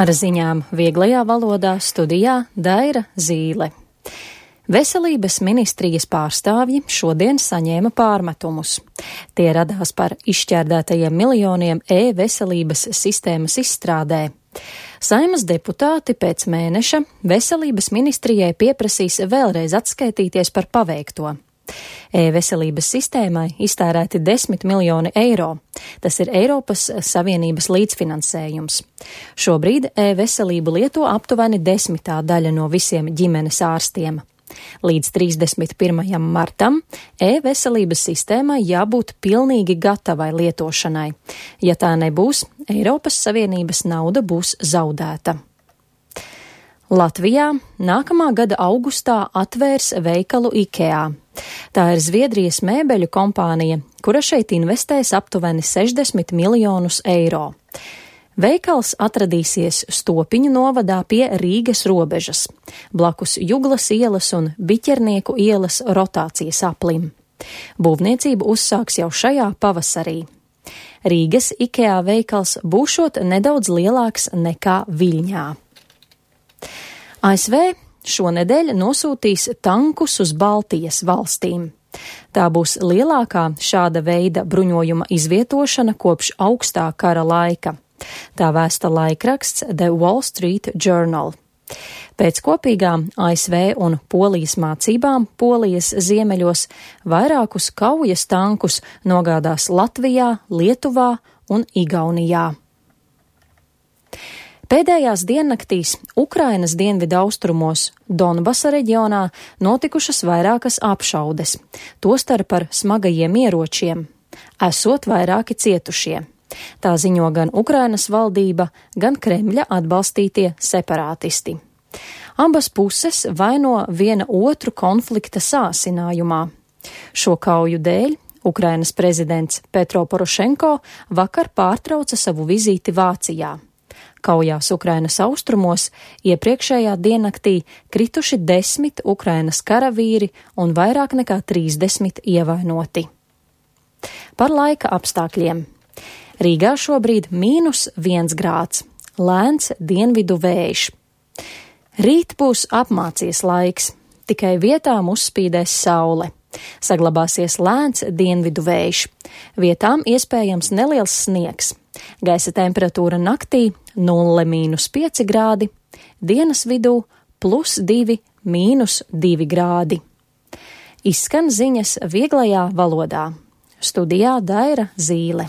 Ar ziņām vieglajā valodā studijā Daira Zīle. Veselības ministrijas pārstāvji šodien saņēma pārmetumus. Tie radās par izšķērdētajiem miljoniem e-veselības sistēmas izstrādē. Saeimas deputāti pēc mēneša veselības ministrijai pieprasīs vēlreiz atskaitīties par paveikto. E-veselības sistēmai iztērēti 10 miljoni eiro. Tas ir Eiropas Savienības līdzfinansējums. Šobrīd e-veselību lieto aptuveni 10% no visiem ģimenes ārstiem. Līdz 31. martam e-veselības sistēmai jābūt pilnīgi gatavai lietošanai. Ja tā nebūs, Eiropas Savienības nauda būs zaudēta. Latvijā nākamā gada augustā atvērs veikalu IKEA. Tā ir Zviedrijas mēbeļu kompānija, kura šeit investēs aptuveni 60 miljonus eiro. Veikals atradīsies Stopiņu novadā pie Rīgas robežas, blakus Juglas ielas un Biķernieku ielas rotācijas aplim. Būvniecību uzsāks jau šajā pavasarī. Rīgas IKEA veikals būšot nedaudz lielāks nekā Viļņā. ASV šonedēļ nosūtīs tankus uz Baltijas valstīm. Tā būs lielākā šāda veida bruņojuma izvietošana kopš augstā kara laika. Tā vēsta laikraksts The Wall Street Journal. Pēc kopīgām ASV un Polijas mācībām Polijas ziemeļos vairākus kaujas tankus nogādās Latvijā, Lietuvā un Igaunijā. Pēdējās diennaktīs Ukrainas dienvidaustrumos Donbasa reģionā notikušas vairākas apšaudes, tostarp ar smagajiem ieročiem, esot vairāki cietušie. Tā ziņo gan Ukrainas valdība, gan Kremļa atbalstītie separātisti. Abas puses vaino viena otru konflikta sāsinājumā. Šo kauju dēļ Ukrainas prezidents Petro Porošenko vakar pārtrauca savu vizīti Vācijā. Kaujās Ukrainas austrumos iepriekšējā diennaktī krituši 10 Ukrainas karavīri un vairāk nekā 30 ievainoti. Par laika apstākļiem. Rīgā šobrīd -1 grāds, lēns dienvidu vējš. Rīt būs apmācies laiks, tikai vietām uzspīdēs saule. Saglabāsies lēns dienvidu vējš, vietām iespējams neliels sniegs. Gaisa temperatūra naktī 0–5 grādi, dienas vidū +2 – 2 grādi. Izskan ziņas vieglajā valodā. Studijā Daira Zīle.